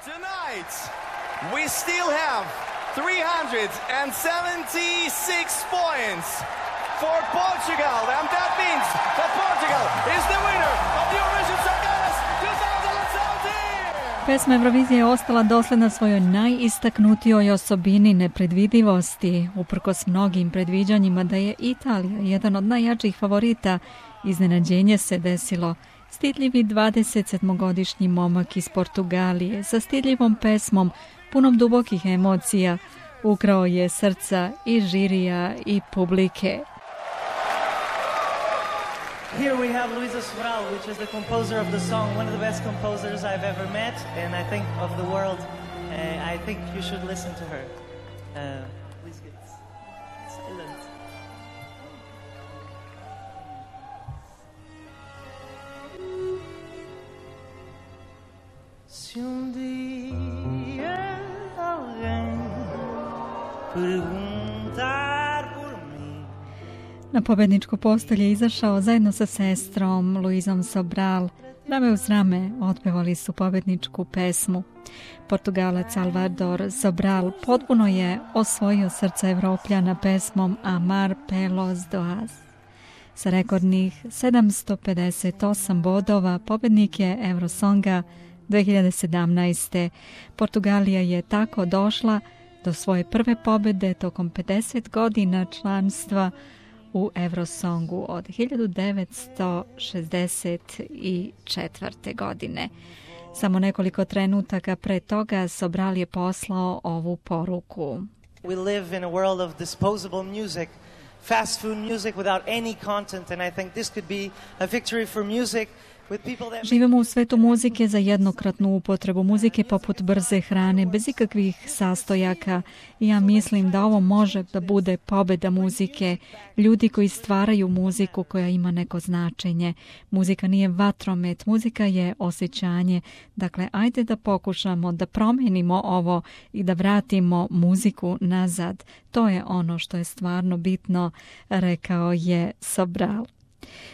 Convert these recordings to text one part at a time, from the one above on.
Tonight, we still have 376 points for Portugal, and that means that Portugal is the winner of the Eurovision Song Contest 2017! Pesma Eurovizije je ostala dosljedna svojoj najistaknutijoj osobini nepredvidivosti, uprkos mnogim predviđanjima da je Italija jedan od najjačih favorita. Iznenađenje se desilo. Stidljivi 27-godišnji momak iz Portugalije sa stidljivom pesmom, punom dubokih emocija, ukrao je srca i žirija i publike. Here we have Luísa Sobral, which is the composer of the song, one of the best composers I've ever met, and I think of the world. I think you should listen to her. Please get silent. Se dia alguém perguntar por mim. Na pobedničku postolje je izašao zajedno sa sestrom Luísom Sobral. Rame uz rame otpevali su pobedničku pesmu. Portugalac Salvador Sobral potpuno je osvojio srca Evropljana pesmom Amar pelos doas. Sa rekordnih 758 bodova pobednik je Eurosonga 2017. Portugalija je tako došla do svoje prve pobjede tokom 50 godina članstva u Eurosongu od 1964. godine. Samo nekoliko trenutaka pre toga Sobral je poslao ovu poruku. We live in a world of disposable music, fast food music without any content, and I think this could be a victory for music. Živimo u svetu muzike za jednokratnu upotrebu, muzike poput brze hrane, bez ikakvih sastojaka. Ja mislim da ovo može da bude pobjeda muzike, ljudi koji stvaraju muziku koja ima neko značenje. Muzika nije vatromet, muzika je osjećanje. Dakle, ajde da pokušamo da promenimo ovo i da vratimo muziku nazad. To je ono što je stvarno bitno, rekao je Sobral.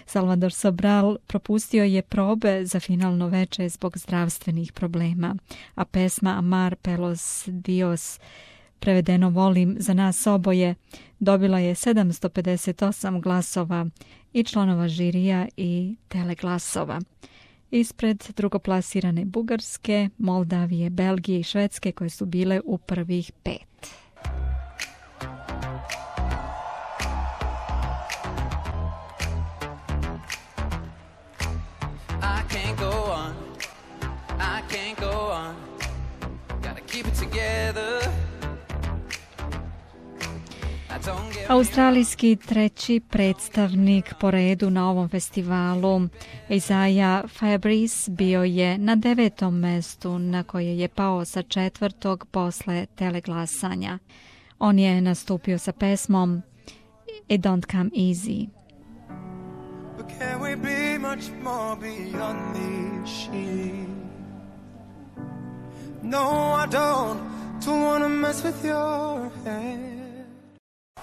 Salvador Sobral propustio je probe za finalno veče zbog zdravstvenih problema, a pesma Amar pelos dios, prevedeno Volim za nas oboje, dobila je 758 glasova i članova žirija i teleglasova. Ispred drugoplasirane Bugarske, Moldavije, Belgije i Švedske koje su bile u prvih 5. Australijski treći predstavnik po redu na ovom festivalu, Isaiah Fabrice, bio je na 9. mestu na koje je pao sa 4. posle teleglasanja. On je nastupio sa pesmom It Don't Come Easy. But can we be much more beyond these sheets? No, I don't want to mess with your head.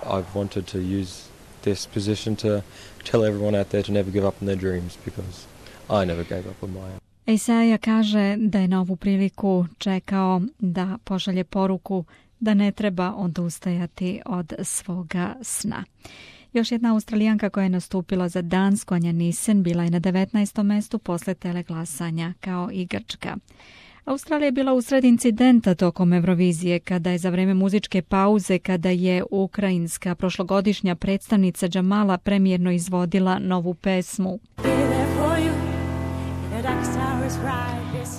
I've wanted to use this position to tell everyone out there to never give up on their dreams because I never gave up on my own. Isaiah kaže da je na ovu priliku čekao da pošalje poruku da ne treba odustajati od svoga sna. Još jedna Australijanka koja je nastupila za Dansku, Anja Nisen, bila je na 19. mestu posle teleglasanja kao i Grčka. Australija je bila usred incidenta tokom Eurovizije kada je za vreme muzičke pauze, kada je ukrajinska prošlogodišnja predstavnica Džamala premijerno izvodila novu pesmu.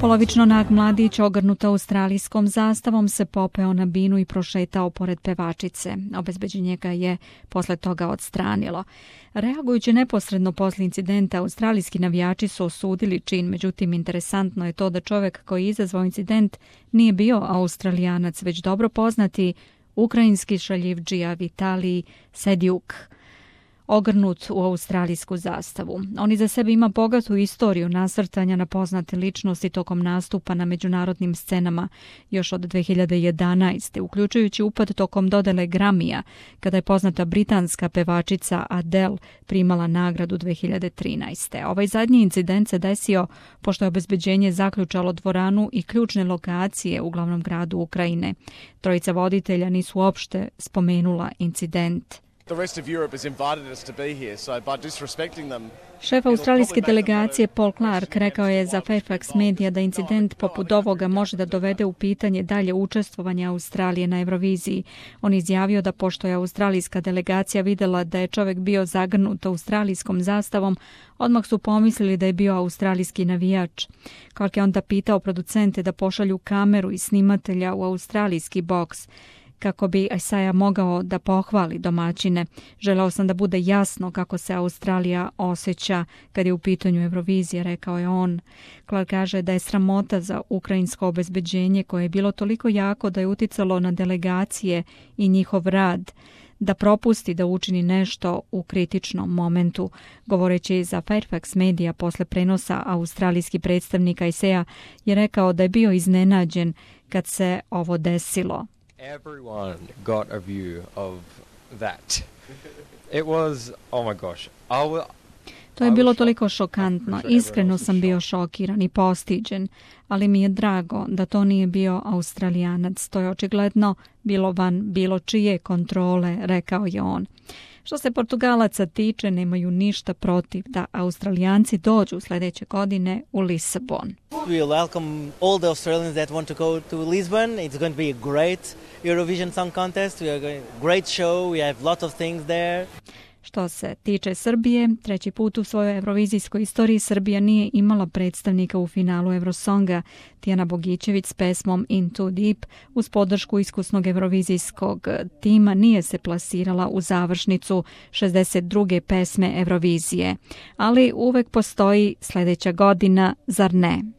Polovično nag mladić ogrnuta australijskom zastavom se popeo na binu i prošetao pored pevačice. Obezbeđenje ga je posle toga odstranilo. Reagujući neposredno posle incidenta, australijski navijači su osudili čin, međutim interesantno je to da čovjek koji je izazvao incident nije bio Australijanac, već dobro poznati ukrajinski šaljivdžija Vitalij Sedjuk. ogrnut u australijsku zastavu. On iza sebe ima bogatu istoriju nasrtanja na poznate ličnosti tokom nastupa na međunarodnim scenama još od 2011. uključujući upad tokom dodele Gramija, kada je poznata britanska pevačica Adele primala nagradu 2013. Ovaj zadnji incident se desio pošto je obezbeđenje zaključalo dvoranu i ključne lokacije u glavnom gradu Ukrajine. Trojica voditelja nisu uopšte spomenula incident. Šef australijske delegacije Paul Clark rekao je za Fairfax Media da incident poput ovoga može da dovede u pitanje dalje učestvovanje Australije na Euroviziji. On izjavio da pošto je australijska delegacija vidjela da je čovjek bio zagrnut australijskom zastavom, odmah su pomislili da je bio australijski navijač. Clark je onda pitao producente da pošalju kameru i snimatelja u australijski boks kako bi Isaiah mogao da pohvali domaćine. Želeo sam da bude jasno kako se Australija osjeća kad je u pitanju Eurovizije, rekao je on. Clark kaže da je sramota za ukrajinsko obezbeđenje koje je bilo toliko jako da je uticalo na delegacije i njihov rad, da propusti da učini nešto u kritičnom momentu. Govoreći za Fairfax Media posle prenosa, australijski predstavnik Isaiah je rekao da je bio iznenađen kad se ovo desilo. Everyone got a view of that. It was, oh my gosh. To je bilo toliko šokantno. Iskreno sam bio šokiran i postiđen, ali mi je drago da to nije bio Australijanac. To je očigledno bilo van bilo čije kontrole, rekao je on. Što se Portugalaca tiče, nemaju ništa protiv da Australijanci dođu sljedeće godine u Lisabon. We welcome all the Australians that want to go to Lisbon. It's going to be a great Eurovision Song Contest. We are going great show. We have lot of things there. Što se tiče Srbije, treći put u svojoj evrovizijskoj istoriji Srbija nije imala predstavnika u finalu Eurosonga. Tijana Bogićević s pesmom In Too Deep uz podršku iskusnog evrovizijskog tima nije se plasirala u završnicu 62. pesme Eurovizije. Ali uvek postoji sljedeća godina, zar ne?